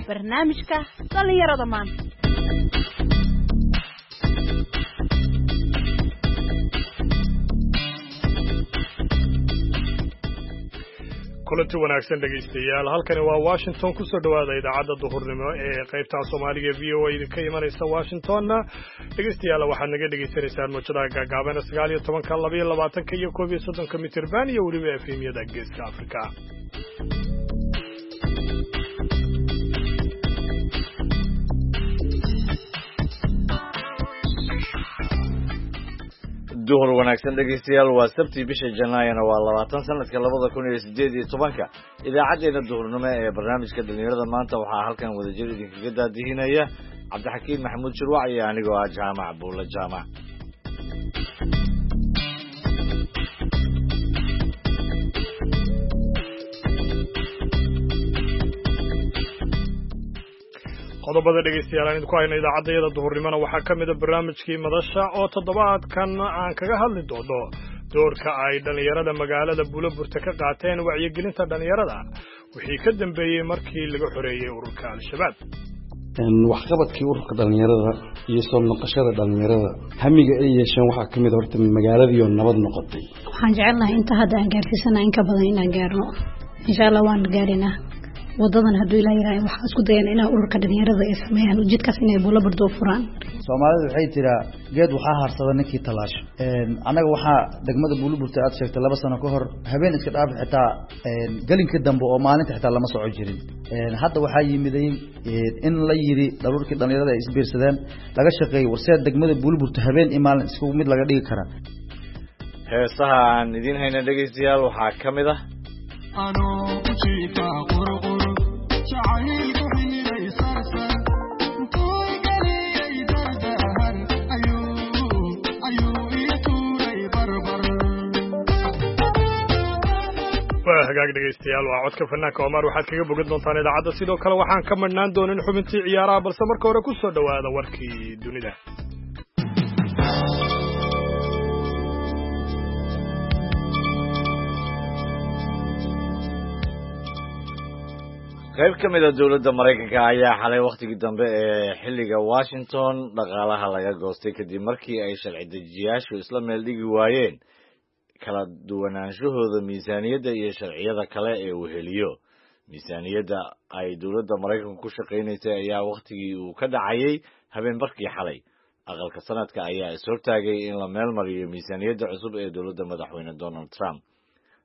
Barnaamijka dhallinyarada maanta. Kulanti wanaagsan, dhegaystayaal. Halkani waa Washington. Kusoo dhowaada idaacadda duhurnimo ee qaybta Soomaaliga VOA idinka imanaysa Washingtonna. Dhegaystayaal, waxaad naga dhegaysanaysaan mawjadaha gaagaaban 19-ka, 22-ka iyo 31-ka mitirban iyo weliba FM-yada Geeska Afrika. Duhur wanaagsan, dhegaystayaal. Waa Sabti, bisha Janaayana waa 20, sanadka 2018-ka. Idaacaddeenna duhurnimo ee barnaamijka dhalinyarada maanta waxaa halkan wadajir idinkaga daadihinaya Cabdixakiin Maxamuud Shirwac iyo anigoo ah Jaamac Buulle Jaamac. Qodobada, dhegaystayaal, aan idinku hayno idaacaddayada duhurnimona waxaa ka mida barnaamijkii madasha oo toddobaadkan aan kaga hadli doono doorka ay dhallinyarada magaalada Buulaburta ka qaateen wacyigelinta dhallinyarada wixii ka dambeeyey markii laga xoreeyey ururka Al-Shabaab. Waxqabadkii ururka dhallinyarada iyo soo noqoshada dhallinyarada, hamiga ay yeesheen waxaa ka mid a horta magaaladiioo nabad noqotay. Waxaan jecelnahay inta hadda aan gaarsiisana in ka badan inaan gaarno, insha Allah waan gaarinaa. Wadadan hadduu Ilaa yiraahdo, waxaan isku dayana inaa ururka dhalinyarada ay sameeyaan ujeedkaas inay Buulaburda u furaan. Soomaalidu waxay tiraa, geed waxaa harsada ninkii talaasho. Annaga waxaa degmada Buulaburta aad sheegtay 2 sano ka hor habeen iska dhaafi, xitaa gelinka dambe oo maalinta xitaa lama soco jirin. Hadda waxaa yimiday in la yiri dharuurkii dhalinyarada ay isbiirsadeen, laga shaqeeyey warsee degmada Buulaburta habeen iyo maalin isku mid laga dhigi karaa. Heesaha aan idiin hayna, dhegaystayaal, waxaa ka mid ah Waa hagaag, dhegaystayaal, waa codka fanaanka Omar. Waxaad kaga bogan doontaan idaacadda. Sidoo kale waxaan ka madhnaan doonin xubintii ciyaaraha, balse marka hore ku soo dhowaada warkii dunida. Qayb ka mid a dowladda Maraykanka ayaa xalay wakhtigii dambe ee xilliga Washington dhaqaalaha laga goostay, kadib markii ay sharci dejiyaashu isla meel dhigi waayeen kala duwanaanshahooda miisaaniyadda iyo sharciyada kale ee weheliyo. Miisaaniyadda ay dowladda Maraykanku ku shaqaynaysay ayaa wakhtigii uu ka dhacayay habeen barkii xalay. Aqalka Sanadka ayaa is-hortaagay in la meel mariyo miisaaniyadda cusub ee dowladda madaxweyne Donald Trump.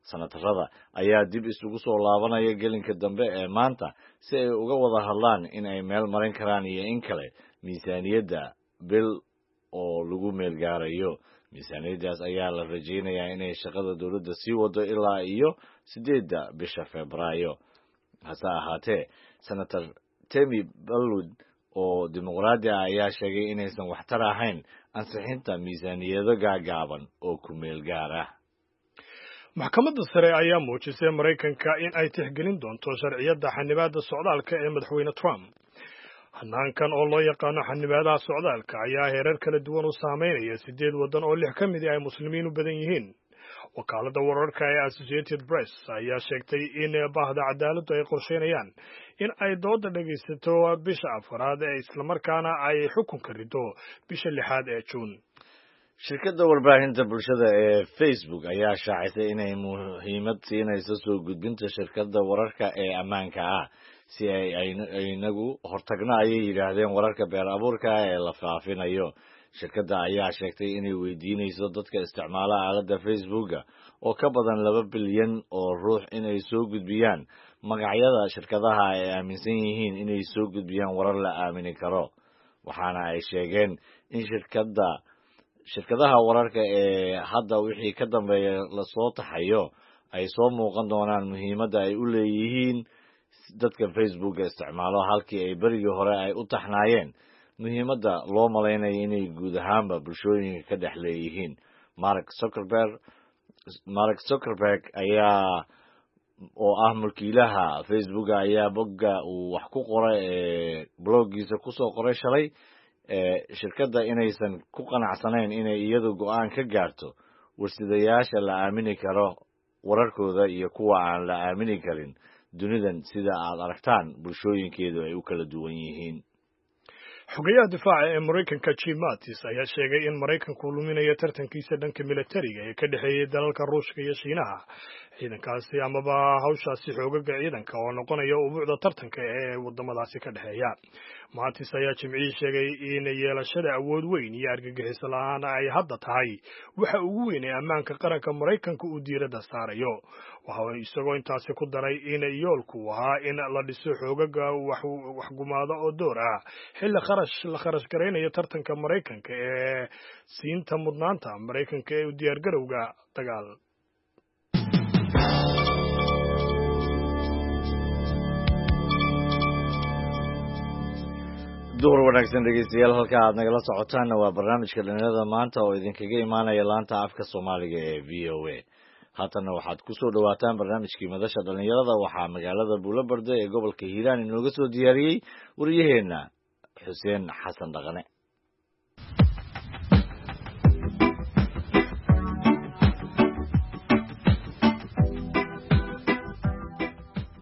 Sanatarada ayaa dib isugu soo laabanaya gelinka dambe ee maanta si ay uga wada hadlaan in ay meel marin karaan iyo in kale miisaaniyadda bil oo lagu meel gaarayo. Miisaaniyaddaas ayaa la rajaynayaa inay shaqada dowladda sii wado ilaa iyo 8-da bisha Febraayo. Hase ahaatee, Senator Tammy Baldwin oo Dimuqraadi ah ayaa sheegay inaysan waxtar ahayn ansixinta miisaaniyado gaagaaban oo ku meel gaar ah. Maxkamadda sare ayaa muujisay Maraykanka in ay tixgelin doonto sharciyadda xanibaadda socdaalka ee madaxweyne Trump. Hanaankan oo loo yaqaano xanibaadaha socdaalka ayaa heerar kala duwan u saameynaya siddeed waddan oo lix ka midi ay muslimiin u badan yihiin. Wakaaladda wararka ee Associated Press ayaa sheegtay in bahda cadaaladdu ay qorsheynayaan in ay dooda dhegaysato bisha afaraad ee islamarkaana ay xukunka rido bisha lixaad ee Juun. Shirkadda warbaahinta bulshada ee Facebook ayaa shaacisay inay muhiimad siinayso soo gudbinta shirkadda wararka ee ammaanka ah, si ay inagu hortagno, ayay yidhaahdeen, wararka beer abuurka ee la faafinayo. Shirkadda ayaa sheegtay inay weydiinayso dadka isticmaala aaladda Facebooka oo ka badan 2 bilyan oo ruux inay soo gudbiyaan magacyada shirkadaha ay aaminsan yihiin inay soo gudbiyaan warar la aamini karo. Waxaana ay sheegeen in shirkadaha wararka ee hadda wixii ka dambeeya lasoo taxayo ay soo muuqan doonaan muhiimadda ay u leeyihiin dadka Facebooka isticmaalo, halkii ay berigii hore ay u taxnaayeen muhiimadda loo malaynayo inay guud ahaanba bulshooyinka ka dhex leeyihiin. Mark Zuckerberg ayaa oo ah mulkiilaha Facebooka ayaa bogga uu wax ku qoray ee bloggiisa kusoo qoray shalay shirkadda inaysan ku qanacsanayn inay iyadu go'aan ka gaarto warsidayaasha la aamini karo wararkooda iyo kuwa aan la aamini karin. Dunidan sida aad aragtaan bulshooyinkeedu ay u kala duwan yihiin. Xogayaha difaaca ee Maraykanka Jim Mattis ayaa sheegay in Maraykanku luminayo tartankiisa dhanka militariga ee ka dhexeeyay dalalka Ruushka iyo Shiinaha. Ciidankaasi amaba hawshaasi xoogaga ciidanka oo noqonaya ubuucda tartanka ee wadamadaasi ka dhexeeya. Mattis ayaa Jimcihii sheegay in yeelashada awood weyn iyo argagixiso la'aan ay hadda tahay waxa ugu weyn ee ammaanka qaranka Maraykanka uu diiradda saarayo. Waxa isagoo intaasi ku daray in yoolku ahaa in la dhiso xoogaga waxgumaada oo door ah xilli kharash la kharash garaynayo tartanka Maraykanka ee siinta mudnaanta Maraykanka ee u diyaargarowga dagaal. Duhur wanaagsan dhegeystayaal, halka aad nagala socotaanna waa barnaamijka dhalinyarada maanta oo idinkaga imaanaya laanta afka Soomaaliga ee VOA. Haatanna waxaad ku soo dhowaataan barnaamijkii madasha dhalinyarada. Waxaa magaalada Buulobarde ee gobolka Hiiraan inooga soo diyaariyey wariyaheenna Xuseen Xasan Dhaqane.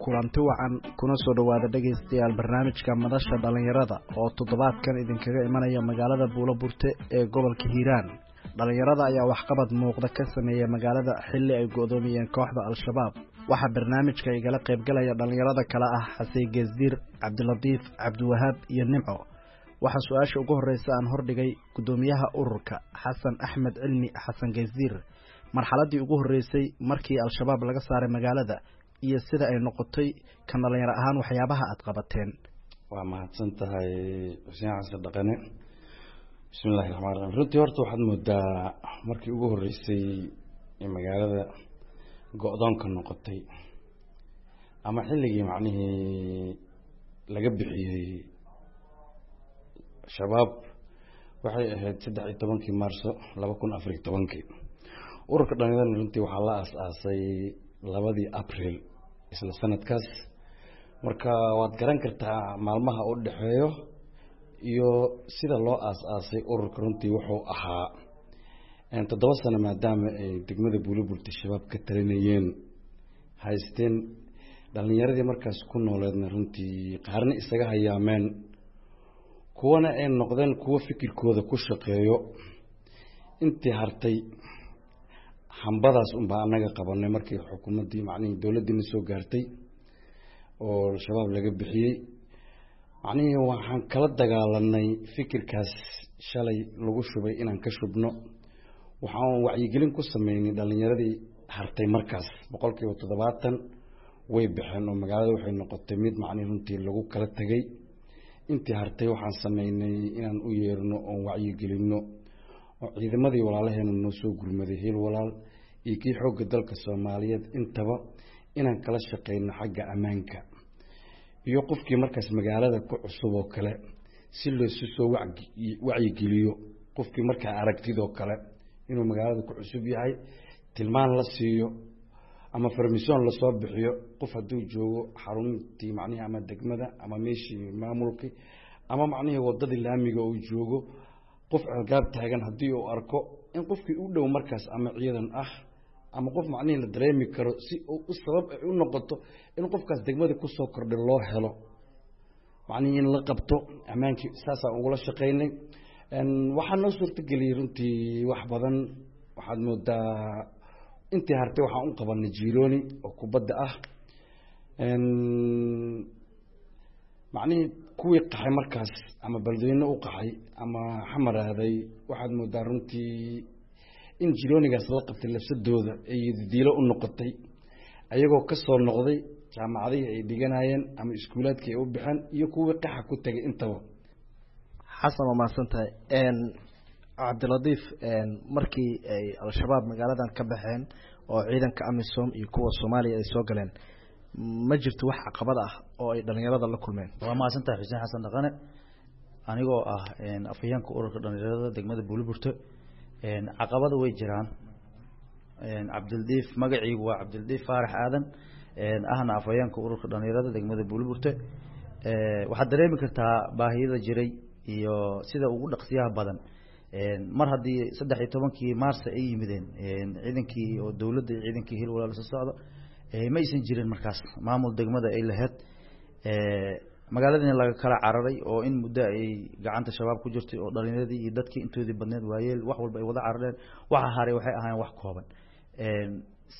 Kulanti wacan, kuna soo dhowaada dhegaystayaal barnaamijka madasha dhallinyarada oo toddobaadkan idinkaga imanaya magaalada Buuloburte ee gobolka Hiiraan. Dhallinyarada ayaa waxqabad muuqda ka sameeya magaalada xilli ay go'doomiyeen kooxda Al-Shabaab. Waxaa barnaamijka igala qaybgalaya dhallinyarada kale ah Xasey Geesdiir, Cabdilatiif, Cabdiwahaab iyo Nimco. Waxaa su-aasha ugu horreysa aan hordhigay guddoomiyaha ururka Xasan Axmed Cilmi, Xasan Geesdiir, marxaladdii ugu horreysay markii Al-Shabaab laga saaray magaalada iyo sida ay noqotay kan dhallinyaro ahaan waxyaabaha aad qabateen. Waa mahadsan tahay Xuseen Xasan Dhaqane. Bismi illahi raxmaan raxiim. Runtii horta waxaad moodaa markii ugu horreysay ee magaalada go-doonka noqotay ama xilligii macnihii laga bixiyey Shabaab waxay ahayd 13-kii Maarso 2014-kii. Ururka dhallinyarada runtii waxaa la aas-aasay 2dii Abril isla sanadkaas. Marka waad garan kartaa maalmaha u dhexeeyo iyo sida loo aas-aasay ururka. Runtii wuxuu ahaa 7 sano maadaama ay degmada Buuloburte Shabaab ka talinayeen haysteen, dhalinyaradii markaas ku nooleedna runtii qaarna isaga hayaameen, kuwana ay noqdeen kuwo fikirkooda ku shaqeeyo. Intii hartay hambadaas unbaa annaga qabanay markii xukuumaddii macnihii dowladdiina soo gaartay oo Shabaab laga bixiyey. Macnihii waxaan kala dagaalanay fikirkaas shalay lagu shubay inaan ka shubno. Waxaan wacyigelin ku sameynay dhalinyaradii hartay markaas, 70% way baxeen oo magaalada waxay noqotay mid macnihi runtii lagu kala tegay. Intii hartay waxaan sameynay inaan u yeerno oon wacyigelinno oo ciidamadii walaalaheena noo soo gurmaday, Hiil Walaal iyo kii xoogga dalka Soomaaliyeed intaba, inaan kala shaqeyno xagga ammaanka iyo qofkii markaas magaalada ku cusub oo kale si loosu soo wacyigeliyo, qofkii markaa aragtidoo kale inuu magaalada ku cusub yahay tilmaan la siiyo ama farmisoon lasoo bixiyo. Qof hadduu joogo xaruntii macnihii ama degmada ama meeshii maamulkii ama macnihii waddadii laamiga uu joogo, qof ceelgaab taagan haddii uu arko, in qofkii u dhow markaas ama ciidan ah ama qof macnihii la dareemi karo si uu u sabab ay u noqoto in qofkaas degmada kusoo kordhay loo helo macnihii in la qabto ammaankii, saasaan ugula shaqaynay. Waxaa noo suurtageliyey runtii wax badan. Waxaad moodaa intii hartay waxaan u qabanay jirooni oo kubadda ah. Macnihii kuwii qaxay markaas ama beledweyne u qaxay ama xamaraaday, waxaad moodaa runtii in jiroonigaas la qabtay lafsadooda ay diilo u noqotay, ayagoo ka soo noqday jaamacadihii ay dhiganayeen ama iskuulaadkii ay u baxeen iyo kuwii qaxa ku tegay intaba. Xasan, waa mahadsan tahay. Cabdilatiif, markii ay Al-Shabaab magaaladan ka baxeen oo ciidanka AMISOM iyo kuwa Soomaaliya ay soo galeen, ma jirto wax caqabad ah oo ay dhalinyarada la kulmeen? Waa mahadsan tahay Xuseen Xasan Dhaqane. Anigoo ah afhayeenka ururka dhalinyarada degmada Buuloburte, caqabada way jiraan. Cabdildiif, magaciigu waa Cabdildiif Faarax Aadan, ahna afhayeenka ururka dhalinyarada degmada Buuloburte. Waxaad dareemi kartaa baahiyada jiray iyo sida ugu dhaqsiyaha badan mar haddii 13-kii Maarsa ay yimideen ciidankii oo dowladda iyo ciidankii Hil Walaal soo socda, Ma aysan jirin markaas maamul degmada ay lahayd, magaaladiina laga kala cararay oo in muddo ay gacanta shabaab ku jirtay, oo dhalinyaradii iyo dadkii intoodii badneed, waayeel, wax walba ay wada carareen. Waxa haray waxay ahaayeen wax kooban.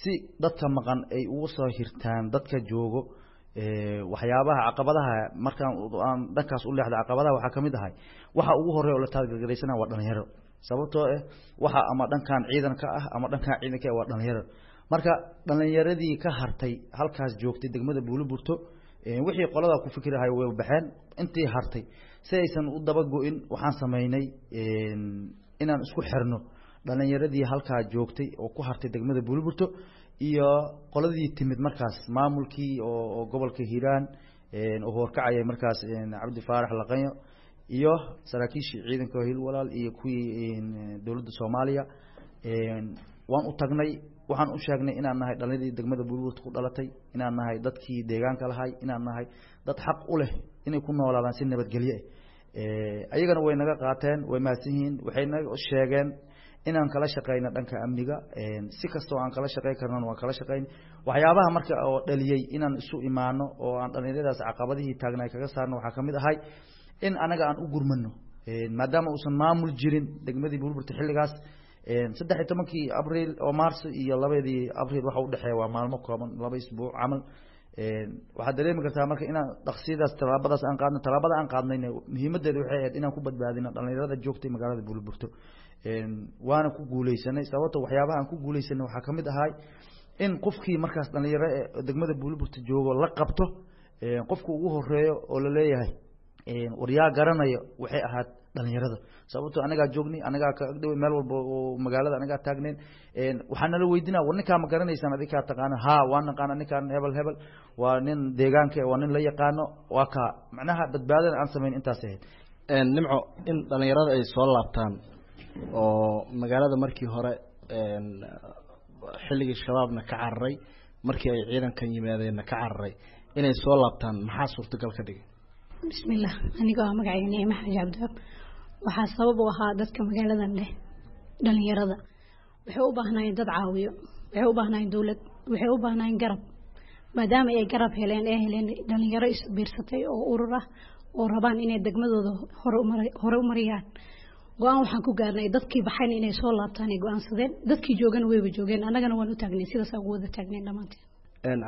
Si dadka maqan ay ugu soo hirtaan dadka joogo, waxyaabaha caqabadaha markaan aan dhankaas u leexda, caqabadaha waxaa kamid ahay waxa ugu horeeya oo la taageeraysana waa dhalinyaro, sababtoo ah waxa ama dhankan ciidanka ah ama dhankan ciidanka ah waa dhalinyaro. Marka dhalinyaradii ka hartay halkaas joogtay degmada Buuloburto, wixii qolada ku fikirahay way baxeen. Intii hartay si aysan u daba go'in, waxaan sameynay inaan isku xirno dhalinyaradii halkaa joogtay oo ku hartay degmada Buuloburto iyo qoladii timid markaas, maamulkii oo gobolka Hiiraan oo horkacayay markaas Cabdi Faarax Laqanyo iyo saraakiishii ciidanka Hiil Walaal iyo kuwii dowladda Soomaaliya. Waan u tagnay, waxaan u sheegnay inaan nahay dhalinyaradii degmada Buuloburto ku dhalatay, inaan nahay dadkii deegaanka lahay, inaan nahay dad xaq u leh inay ku noolaadaan si nabadgelyo ah. Ayagana way naga qaateen, way mahadsan yihiin. Waxay naga sheegeen inaan kala shaqeyno dhanka amniga, si kastoo aan kala shaqey karnana waan kala shaqeyn. Waxyaabaha marka oo dhaliyey inaan isu imaano oo aan dhalinyaradaas caqabadihii taagna kaga saarno waxaa kamid ahay in anaga aan u gurmano, maadaama uusan maamul jirin degmadii Buuloburto xilligaas. 13-kii Abriil oo Maarso iyo 2dii Abriil waxa udhexeeya waa maalmo kooban, 2 isbuuc camal. Waxaad dareemi kartaa marka inaan dhaqsiyadaas tallaabadaas aan qaadno. Tallaabada aan qaadnayna muhiimadeeda waxay ahayd inaan ku badbaadino dhalinyarada joogtay magaalada Buuloburto, waana ku guuleysanay. Sababto waxyaabaha aan ku guuleysanay waxaa kamid ahay in qofkii markaas dhalinyaro ee degmada Buuloburto joogo la qabto, qofka ugu horeeyo oo laleeyahay waryaa garanayo waxay ahayd dhalinyarada, sababtoo anagaa joognay, anagaa ka agdhow, meel walba oo magaalada anagaa taagnayn. Waxaa nala weydinaa, war ninkaa ma garanaysaan? Adinkaa taqaana? Haa, waa naqaana ninkaan, hebel hebel waa nin deegaanka, waa nin la yaqaano, waa kaa. Macnaha badbaadada aan samayn intaas ahayd. Nimco, in dhalinyarada ay soo laabtaan oo magaalada markii hore xilligii shabaabna ka cararay, markii ay ciidankan yimaadeenna ka cararay, inay soo laabtaan maxaa suurtagal ka dhigay? Bismillah, anigoo ah magacayga Nicmo Xaaji Cabdiwaab, waxaa sabab u ahaa dadka magaaladan leh dhalinyarada waxay u baahnaayeen dad caawiyo, waxay u baahnaayeen dowlad, waxay u baahnaayeen garab. Maadaama ay garab heleen, ee heleen dhalinyaro is biirsatay oo urur ah oo rabaan inay degmadooda hore u mariyaan, go-aan waxaan ku gaarnay dadkii baxayna inay soo laabtaan ay go-aansadeen. Dadkii joogana wayba joogeen, annagana waan u taagnay, sidaas ugu wada taagneen dhammaanteen.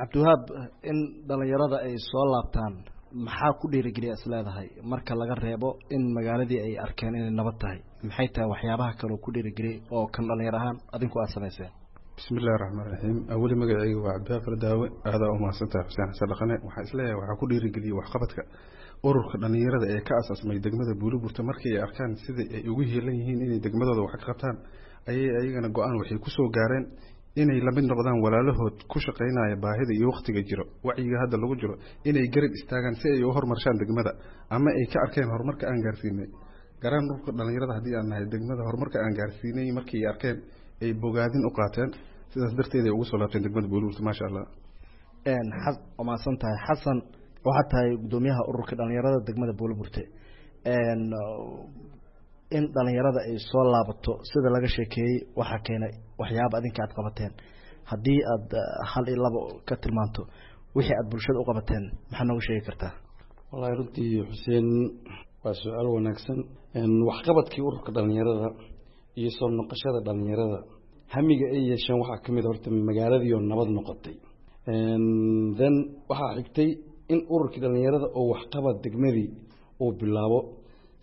Cabdiwahaab, in dhalinyarada ay soo laabtaan maxaa ku dhiirigeliya is leedahay, marka laga reebo in magaaladii ay arkeen inay nabad tahay? Maxay tahay waxyaabaha kale oo ku dhiirigeliyay oo kan dhalinyar ahaan adinku aada samayseen? Bismi illahi raxmaan raxiim. Aweli magaceyga waa Cabdiwahaab Fardaawe. Aadaa u mahadsantahay Xuseen Xasan Dhaqane. Waxaan isleeyahay waxaa ku dhiirigeliyey waxqabadka ururka dhalinyarada ee ka asaasmay degmada Buuloburto. Markii ay arkaan sidai ay ugu heelan yihiin inay degmadooda wax ka qabtaan, ayay ayagana go-aan waxay kusoo gaareen inay lamid noqdaan walaalahood ku shaqaynaya baahida iyo wakhtiga jiro, wacyiga hadda lagu jiro, inay garab istaagaan si ay u horumarshaan degmada, ama ay ka arkeen horumarka aan gaarsiinay garaan ururka dhalinyarada haddii aan nahay degmada, horumarka aan gaarsiinay markii ay arkeen ay bogaadin u qaateen, sidaas darteed ay ugu soo laabteen degmada Buuloburto, maasha Allah. Waa mahadsan tahay Xasan. Waxaad tahay guddoomiyaha ururka dhalinyarada degmada Buuloburte. In dhalinyarada ay soo laabato sida laga sheekeeyey waxaa keenay waxyaaba adinka aad qabateen. Haddii aad hal iyo labo ka tilmaanto wixii aad bulshada u qabateen, maxaa nooga sheegi kartaa? Wallahi runtii Xuseen, waa su-aal wanaagsan. Waxqabadkii ururka dhalinyarada iyo soo noqoshada dhalinyarada hamiga ay yeesheen waxaa kamid horta magaaladii oo nabad noqotay. Then waxaa xigtay in ururkii dhalinyarada oo waxqabad degmadii uu bilaabo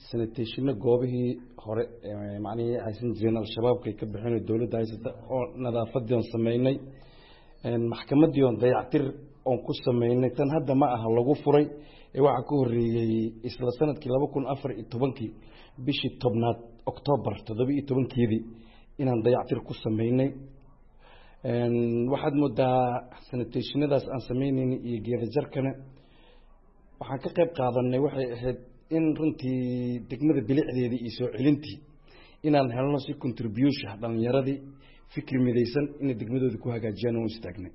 sanitationo, goobihii hore macnihii haysan jireen al-shabaabka ay ka baxeen oo dowladda haysata oo nadaafadii oon sameynay, maxkamadii oon dayactir oon ku sameynay. Tan hadda ma aha lagu furay ee waxaa ka horreeyey isla sanadkii 2014-kii bishii 10aad, Octoobar 17-keedii, inaan dayactir ku sameynay. Waxaad moodaa sanitationadaas aan sameynayna iyo geedajarkana waxaan ka qayb qaadanay waxay ahayd in runtii degmada bilicdeedii iyo soo celintii inaan helno si contribution dhalinyaradii fikri midaysan inay degmadooda ku hagaajiyaan oo istaagnay.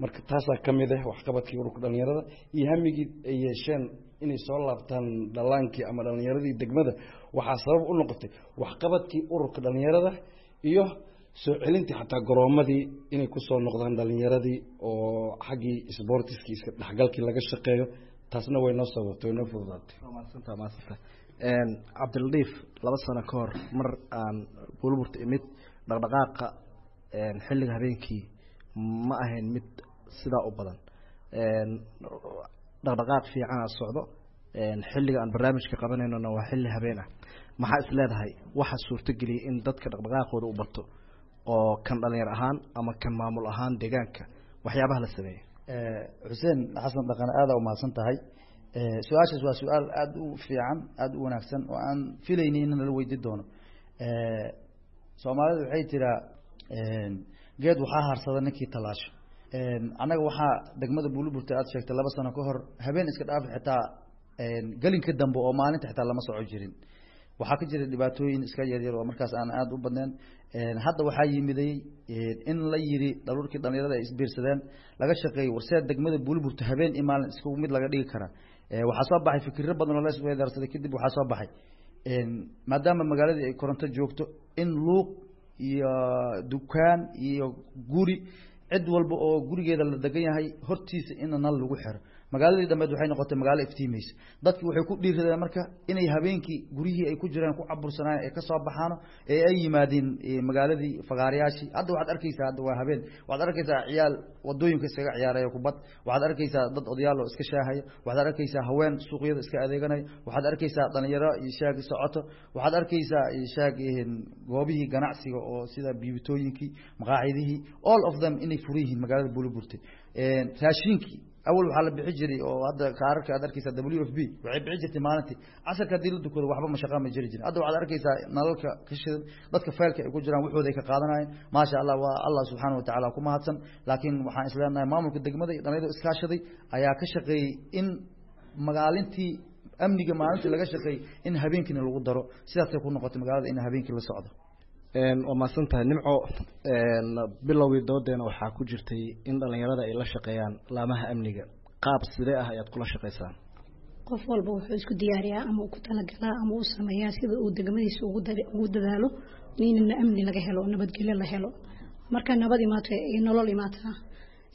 Marka taasaa ka mid ah waxqabadkii ururka dhalinyarada iyo hamigii ay yeesheen inay soo laabtaan dhalaankii ama dhalinyaradii degmada. Waxaa sabab u noqotay waxqabadkii ururka dhalinyarada iyo Soo celintii xataa garoomadii inay kusoo noqdaan dhalinyaradii oo xaggii sboortiskii iska dhexgalkii laga shaqeeyo, taasna way noo sababtay, way noo fududaatay. Mahadsanta, mahadsanta Cabdiladiif. 2 sano ka hor mar aan Buulaburta imid, dhaqdhaqaaqa xilliga habeenkii ma ahayn mid sidaa u badan. Dhaqdhaqaaq fiicanaa socdo. Xilliga aan barnaamijka qabanaynona waa xilli habeen ah. Maxaa is leedahay waxa suurtogeliyay in dadka dhaqdhaqaaqooda u bato, oo kan dhalinyar ahaan ama kan maamul ahaan deegaanka, waxyaabaha la sameeyey? Xuseen Xasan Dhaqane, aada umahadsan tahay. Su-aashaas waa su-aal aada u fiican, aada u wanaagsan oo aan filayni in nala weydi doono. Soomaalida waxay tiraa geed waxaa harsada ninkii tallaasho. Annaga waxaa degmada Buulaburta aad sheegtay 2 sano ka hor habeen iska dhaafi, xitaa gelinka dambe oo maalinta xitaa lama soco jirin. Waxaa ka jira dhibaatooyin iska yaryar oo markaas aan aada u badnayn. Hadda waxaa yimiday in la yiri dharuurkii dhalinyarada ay isbiirsadeen, laga shaqeeyey warseed degmada Buulaburta habeen iyo maalin isku mid laga dhigi karaa. Waxaa soo baxay fikirro badan oo la isweydaarsaday. Kadib waxaa soo baxay, maadaama magaaladii ay koronto joogto, in luuq iyo dukaan iyo guri cid walba oo gurigeeda la degan yahay hortiisa in nal lagu xiro. Magaaladii dambeed waxay noqotay magaalo iftiimaysa. Dadki waxay ku dhiiradeen marka inay habeenkii guryihii ay ku jireen ku cabursanaayen ay kasoo baxaano ee ay yimaadeen magaaladii fagaarayaashii. Hadda waxaad arkeysaa, hadda waa habeen, waxaad arkeysaa ciyaal wadooyinka iskaga ciyaaraya kubad, waxaad arkeysaa dad odayaal oo iska shaahaya, waxaad arkeysaa haween suuqyada iska adeeganaya, waxaad arkeysaa dhalinyaro iyo shaag socoto, waxaad arkeysaa shaag goobihii ganacsiga oo sida biibitooyinkii, maqaacidihii, all of them inay furan yihiin magaalada Buulaburte. Raashinkii awal waxaa la bixi jiray oo hadda kaararka aad arkeysaa WFP waxay bixi jirtay maalintii casarka haddii la dukado, waxba mashaqa ma jiri jirin. Hadda waxaad arkeysaa nalalka ka shidan, dadka faylka ay ku jiraan waxooda ay ka qaadanayeen. Maasha Allah, waa Allah subxaana watacaala ku mahadsan. Laakiin waxaan isleenahay maamulka degmada iyo dhalinyarada iskaashaday ayaa ka shaqeeyey in magaalintii amniga maalintii laga shaqeeyey in habeenkiina lagu daro. Sidaasay ku noqotay magaalada in habeenkii la socdo. Waa mahadsan tahay, Nimco. Bilowgii doodeena waxaa ku jirtay in dhalinyarada ay la shaqeeyaan laamaha amniga. Qaab sidee ah ayaad kula shaqeysaan? Qof walba wuxuu isku diyaariyaa ama uu ku talagalaa ama uu sameeyaa sida uu degmadiisa ugu dadaalo in amni laga helo, nabadgelyo la helo. Marka nabad imaato iyo nolol imaataa,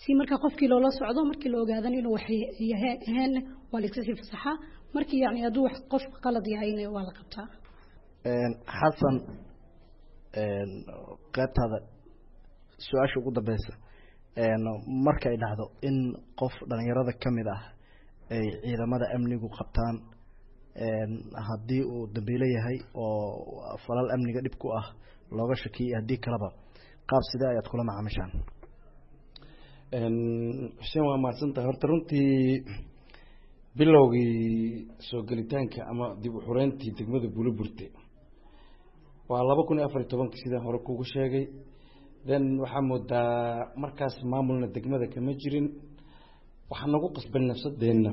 si marka qofkii loola socdo, markii la ogaadan inuu wax yahay ahayn waa la iska sii fasaxaa. Markii yacni hadduu wax qof qalad yahayna waa la qabtaa. Xasan, qaybtaada su-aasha ugu dambeysa: marka ay dhacdo in qof dhalinyarada ka mid ah ay ciidamada amnigu qabtaan, haddii uu dambiilo yahay oo falal amniga dhib ku ah looga shakiyay, haddii kaleba, qaab sidee ayaad kula macaamishaan? Xuseen, waa mahadsantahay. Horta runtii bilowgii soo gelitaanka ama dib u xureyntii degmada Buulaburte waa 2014-kii, sidaan hore kugu sheegay. Then waxaa moodaa markaas maamulna degmada kama jirin. Waxaa nagu qasban nafsadeenna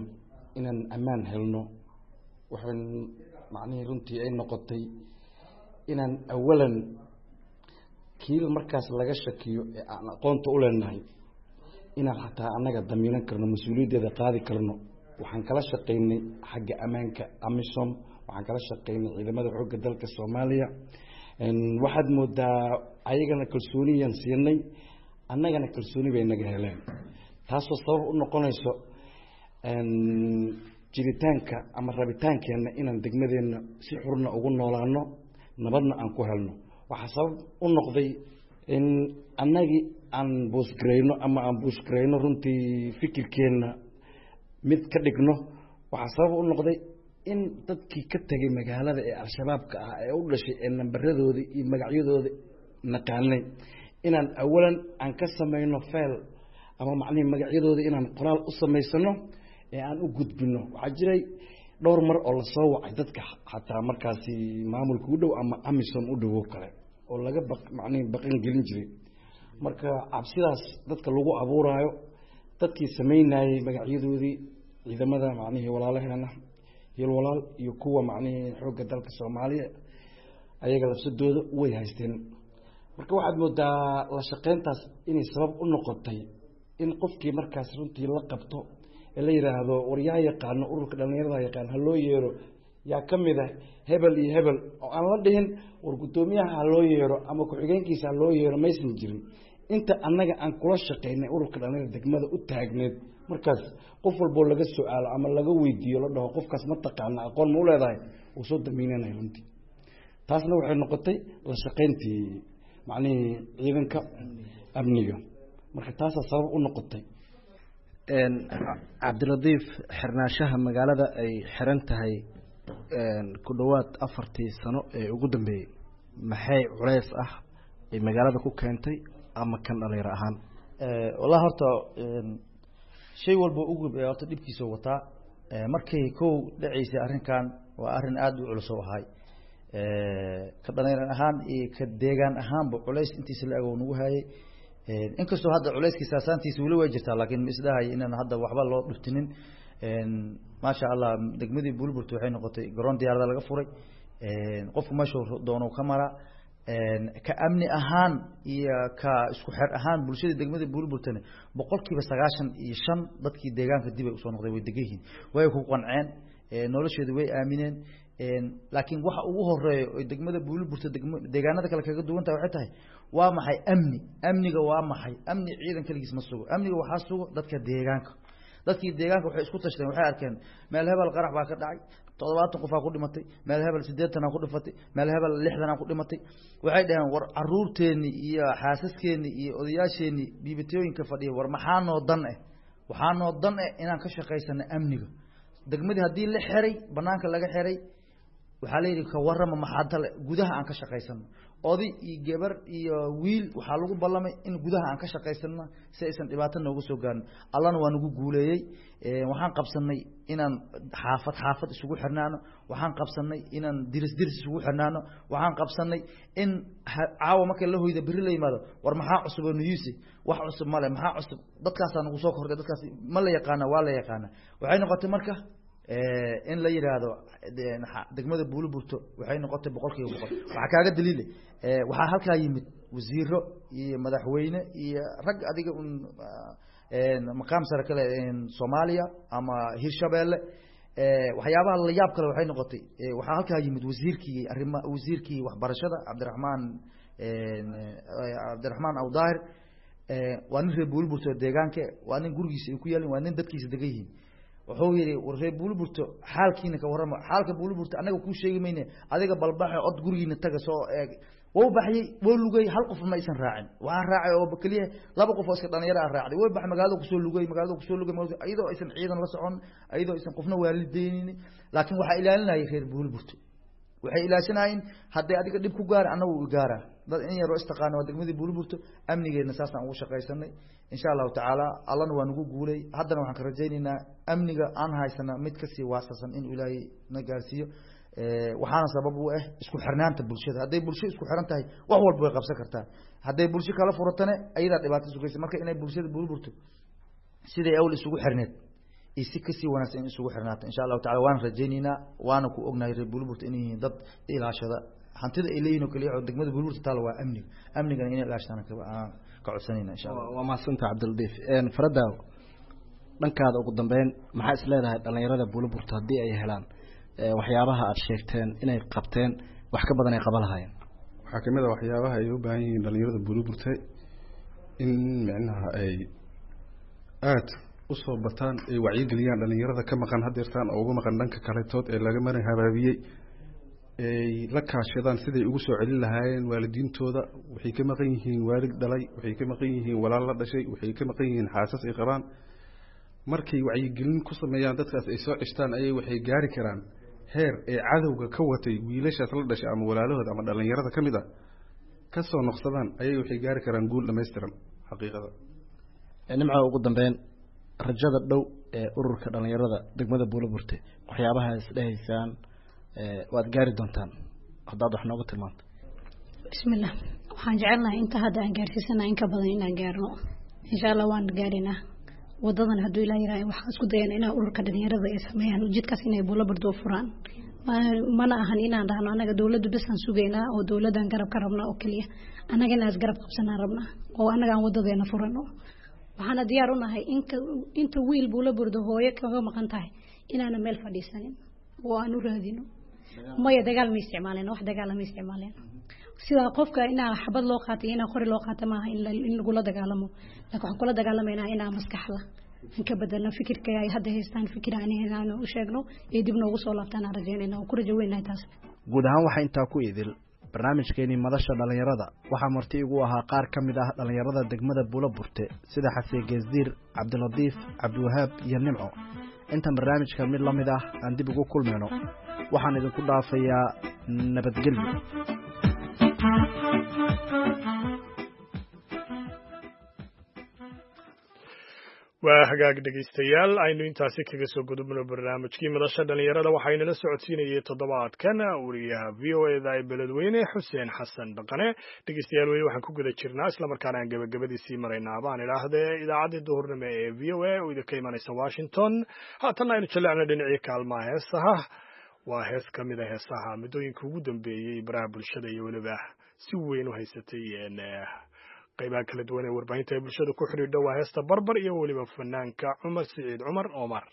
inaan ammaan helno. Waxay macnihii runtii ay noqotay inaan awalan kii markaas laga shakiyo ee aan aqoonta u leenahay inaan xataa annaga damiinan karno, mas-uuliyaddeeda qaadi karno. Waxaan kala shaqaynay xagga ammaanka AMISOM, waxaan kala shaqaynay ciidamada xoogga dalka Soomaaliya. Waxaad moodaa ayagana kalsooniyaan siinay, annagana kalsooni bay naga heleen, taasoo sabab u noqonayso jiritaanka ama rabitaankeenna inaan degmadeenna si xurna ugu noolaano, nabadna aan ku helno. Waxaa sabab u noqday in annagii aan boosgarayno ama aan buushgarayno runtii fikirkeenna mid ka dhigno. Waxaa sabab u noqday in dadkii ka tegay magaalada ee Al-Shabaabka ah ee u dhashay ee nambaradooda iyo magacyadooda naqaanay inaan awalan aan ka samayno feel ama macnihii magacyadooda inaan qoraal u samaysano ee aan u gudbino. Waxaa jiray dhowr mar oo lasoo wacay dadka xataa markaasi maamulka u dhow ama AMISOM u dhowo kale oo laga baq macnihii baqan gelin jiray. Marka cabsidaas dadka lagu abuuraayo, dadkii samaynayey magacyadoodii ciidamada macnihii walaalaheena hil walaal iyo kuwa macnihii xoogga dalka Soomaaliya ayaga lafsadooda way haysteen. Marka waxaad moodaa la shaqeyntaas inay sabab u noqotay in qofkii markaas runtii la qabto ee la yidhaahdo war yaa yaqaano ururka dhalinyarada yaqaan, ha loo yeero, Yaa ka mid ah hebel iyo hebel oo aan la dhihin war guddoomiyaha ha loo yeero ama ku-xigeenkiisa ha loo yeero, maysan jirin. Inta annaga aan kula shaqaynay ururka dhalinyarada degmada u taagneed, markaas qof walboo laga su-aalo ama laga weydiiyo, la dhaho qofkaas ma taqaana, aqoon ma u leedahay, uu soo damiinanaya runtii. Taasna waxay noqotay la shaqayntii macnihii ciidanka amniga, marka taasaa sabab u noqotay. Cabdilatiif, xirnaanshaha magaalada ay xiran tahay ku dhowaad 4tii sano ee ugu dambeeyey, maxay culeys ah ay magaalada ku keentay ama kan dhalinyaro ahaan? Wallahi horta shay walba ugub ee horta dhibkiisa wataa. Markay kow dhaceysay arrinkan, waa arrin aada u culus oo ahay ka dhalinyaro ahaan iyo ka deegaan ahaanba, culays intiisa la eg oo nagu hayay. Inkastoo hadda culayskiisa saasaantiisa weli way jirtaa, laakiin ma isdhahay inaan hadda waxba loo dhuftinin. Maasha Allah, degmadii Buulburta waxay noqotay garoon diyaarada laga furay, qofku meeshuu doono ka maraa. Ka amni ahaan iyo ka isku xer ahaan bulshada degmada Buulburtana 95% dadkii deegaanka dib ay usoo noqday, way degan yihiin, way ku qanceen nolosheedu, way aamineen. Laakiin waxa ugu horeeya oy degmada Buuliburta deegaanada kale kaga duwan tahay waxay tahay waa maxay? Amni. Amniga waa maxay? Amni ciidan keligiis ma sugo, amniga waxaa sugo dadka deegaanka. Dadkii deegaanka waxay isku tashteen, waxay arkeen meel hebel qarax baa ka dhacay, 70 qofaa ku dhimatay, meel hebel 80aa ku dhifatay, meel hebel 60aa ku dhimatay. Waxay dhaheen war caruurteenni iyo xaasaskeenni iyo odayaasheenni biibatooyinka fadhiya, war maxaa noo dan eh? Waxaa noo dan eh inaan ka shaqaysano amniga degmadii. Haddii la xiray, banaanka laga xiray, waxaa la yidhi ka warrama maxaa tale gudaha aan ka shaqaysano? Oday iyo gabar iyo wiil waxaa lagu ballamay in gudaha aan ka shaqaysano si aysan dhibaato nooga soo gaarin. Allana waa nagu guuleeyey. Waxaan qabsanay inaan xaafad xaafad isugu xirnaano, waxaan qabsanay inaan diris diris isugu xirnaano, waxaan qabsanay in caawa marka la hoyda berri la yimaado, war maxaa cusub oo nuyuusi? Wax cusub male. Maxaa cusub? Dadkaasaa nagu soo kordhay, dadkaas ma la yaqaana? Waa la yaqaana. Waxay noqotay marka in la yidhaahdo degmada Buuliburto waxay noqotay 100%. Waxaa kaaga daliile, waxaa halkaa yimid wasiiro iyo madaxweyne iyo rag adiga un maqaam sare kale Soomaaliya ama Hirshabeelle. Waxyaabaha la yaab kale waxay noqotay, waxaa halkaa yimid wasiirkii arrima, wasiirkii waxbarashada, Cabdiraxmaan Awdaahir. Waa nin reer Buuliburto deegaanka, waa nin gurigiisa ay ku yaalin, waa nin dadkiisa degan yihiin. Wuxuu yidhi war reer Buuliburto xaalkiina ka warrama, xaalka Buuliburto annaga kuu sheegi mayne, adiga balbaxe od gurigiina taga soo eeg. Wou baxyey, wou lugay, hal qof ma aysan raacin. Waxaa raacay oo keliya laba qof oo iska dhalinyaro ah raacday. Way baxay, magaalada kusoo lugay, magaalada kusoo lugay, iyadoo aysan ciidan la socon, iyadoo aysan qofna waalideynin, laakiin waxaa ilaalinayay reer Buuliburto. Waxay ilaashanayeen hadday adiga dhib ku gaara, annagu u gaaraa. Dad in yaroo istaqaana waa degmadii Buuliburto. Amnigeedna saasaan ugu shaqaysanay insha Allahu tacaala, Allana waa nagu guulay. Haddana waxaan ka rajaynaynaa amniga aan haysana mid kasii waasasan inuu Ilaahay na gaarsiiyo. Waxaana sabab u ah isku xirnaanta bulshada. Hadday bulsho isku xiran tahay, wax walba way qabsan kartaa. Hadday bulsho kala furatane, ayadaa dhibaato sugaysa. Marka inay bulshada Buuliburto siday awl isugu xirneed iyo si kasii wanaagsan in isugu xirnaato insha Allahu tacala waan rajaynaynaa, waana ku ognahay reer Buuliburto inay yihiin dad ilaashada hantida ay leeyihin oo kaliya oo degmada Buuliburto taala waa amniga. Amnigana inay ilaashadaan ka codsanayna insha Allah. Waa mahadsantaha Cabdilatiif. Faradaaw, dhankaada ugu dambeyn maxaa is leedahay dhalinyarada Buuliburto haddii ay helaan waxyaabaha aada sheegteen inay qabteen, wax ka badan ay qaba lahaayeen? Waxaa kamid a waxyaabaha ay u baahan yihiin dhalinyarada Buuliburte in micnaha ay aada usoo bataan, ay wacyigeliyaan dhalinyarada ka maqan hadeertaan oo uga maqan dhanka kaletood ee laga marin habaabiyey, ay la kaashadaan siday ugu soo celin lahaayeen waalidiintooda. Waxay ka maqan yihiin waalid dhalay, waxay ka maqan yihiin walaal la dhashay, waxay ka maqan yihiin xaasas ay qabaan. Markay wacyigelin ku sameeyaan dadkaas ay soo ceshtaan, ayay waxay gaari karaan heer ay cadowga ka watay wiilashaas la dhashay ama walaalahooda ama dhalinyarada ka mid ah ka soo noqsadaan, ayay waxay gaari karaan guul dhammaystiran xaqiiqada. Nimco, ugu dambeyn rajada dhow ee ururka dhalinyarada degmada Buuliburte, waxyaabaha isdhehaysaan waad gaari doontaan haddaad wax nooga tilmaanto? Bismillah, waxaan jecelnahay inta hadda aan gaarsiisana in ka badan inaan gaarno insha Allah. Waan gaarinaa wadadan hadduu Ilaah yiraahdo. Waxaan isku dayana inaan ururka dhalinyarada ay sameeyaan jidkaas inay Buuliburto furaan. Mana ahan inaan dhahno annaga dowladdu bes aan sugaynaa oo dowladdan garab ka rabnaa oo keliya, annaga inaan isgarab qabsanaan rabnaa oo annaga aan wadadeena furano. Waxaana diyaar u nahay inka inta wiil Buuliburdo hooyo kaga maqan tahay inaana meel fadhiisanin oo aan u raadino. Maya, dagaal ma isticmaaleen, wax dagaala ma isticmaaleen. Sida qofka inaa xabad loo qaatay, inaa qori loo qaato maaha in lagula dagaalamo, laakiin waxaan kula dagaalamaynaa inaa maskaxda aan ka bedelno fikirka ay hadda haystaan, fikir aan ahayn u sheegno ee dib noogu soo laabtaan aan rajaynayna oo ku rajo weynahay taas. Guud ahaan waxaa intaa ku idil barnaamijkeenii madasha dhallinyarada. Waxaa marti igu ahaa qaar ka mid ah dhallinyarada degmada Buulo Burte, sida Xasee Geesdiir, Cabdilatiif, Cabdiwahaab iyo Nimco. Intaan barnaamijka mid la mid ah aan dib ugu kulmayno, waxaan idinku dhaafayaa nabadgelyo. Waa hagaag dhegaystayaal, aynu intaasi kaga soo gudubno barnaamijkii madasha dhallinyarada. Waxaynala socodsiinayay toddobaadkan wariyaha VOA da ee Beledweyne, Xuseen Xasan Dhaqane. Dhegaystayaal, weli waxaan ku guda jirnaa, islamarkaana aan gebagabadiisii maraynaa baan idhaahdee, idaacaddii duhurnimo ee VOA oo idinka imanaysa Washington. Haatanna aynu jallecno dhinacii kaalmaha heesaha. Waa hees ka mid a heesaha muddooyinka ugu dambeeyey baraha bulshada iyo weliba si weyn u haysatay qaybaha kala duwan ee warbaahinta ay bulshada ku xidhiidho. Waa heesta Barbar iyo weliba fanaanka Cumar Siciid Cumar Omar.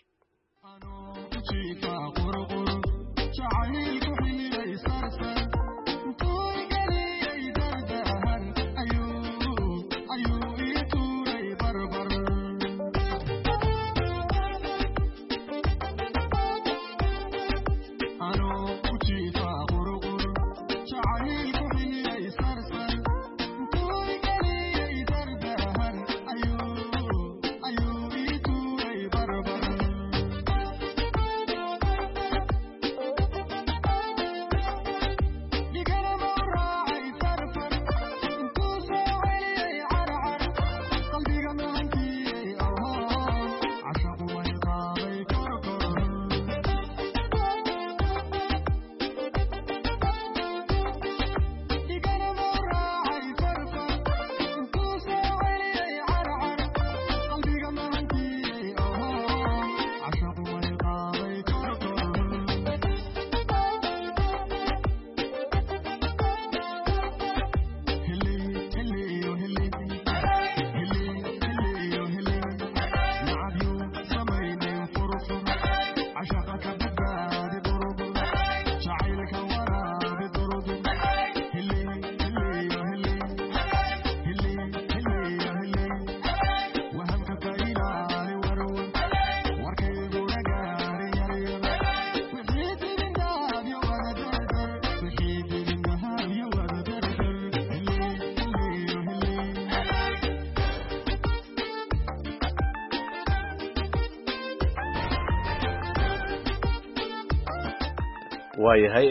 Waayahay,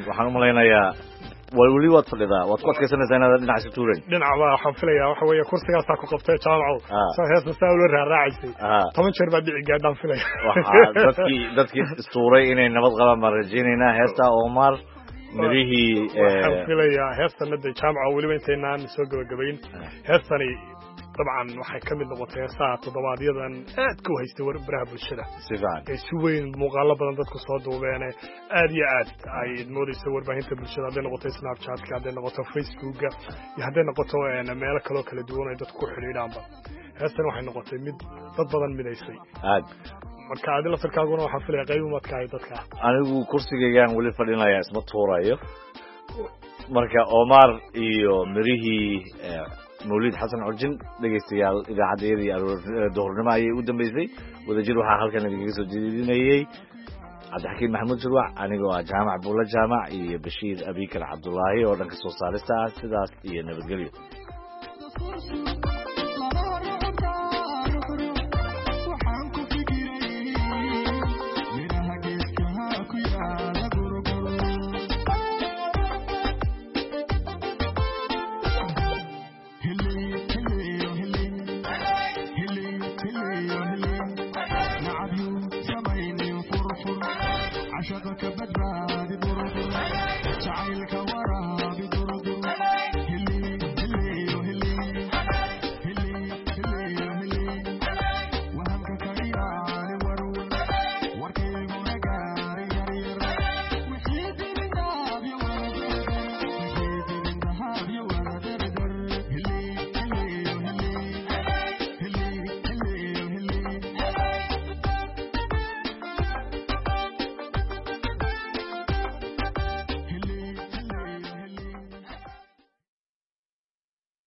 waxaan umalaynayaa weli waad fadhidaa, waad ku adkaysanaysaa inaad dhinac iska tuurayn. Dhinac baa waxaan filayaa waxa weeye kursigaasaa ku qabtay, Jaamacow. Saa heesta saa ula raaraacaysay 10 jeer baa dhici gaadhaan filaya. Waxaa dadkii istuuray inay nabad qabaan baan rajaynaynaa. Heesta Omar, mirihii Waxaan filayaa heestana de, Jaamaco, weliba intaynaan soo gabagabayn, heestani dabcan waxay ka mid noqotay heesaha toddobaadyadan aadka u haystay baraha bulshada. Si fiican. Ee si weyn muuqaalo badan dadku soo duubeene, aad iyo aad ay moodaysa warbaahinta bulshada, hadday noqoto Snapchatka, hadday noqoto Facebooka iyo hadday noqoto meelo kaloo kala duwan ay dadku ku xidhiidhaanba. Heestan waxay noqotay mid dad badan midaysay. Aad. Marka adi laftarkaaguna waxaan filaya qayb umadka ahay dadka. Anigu kursigaygaan weli fadhinaya, isma tuurayo. Marka Omar iyo mirihii Mawlid Xasan Curjin, dhegaystayaal, idaacaddayadii duhurnimo ayay u dambeysay. Wadajir waxaa halkan idinkaga soo jeedinayey Cabdixakiim Maxamuud Shirwac, anigoo ah Jaamac Buulla Jaamac, iyo Bashiir Abikar Cabdulaahi oo dhanka soo saarista ah. Sidaas iyo nabadgelyo. عشقك.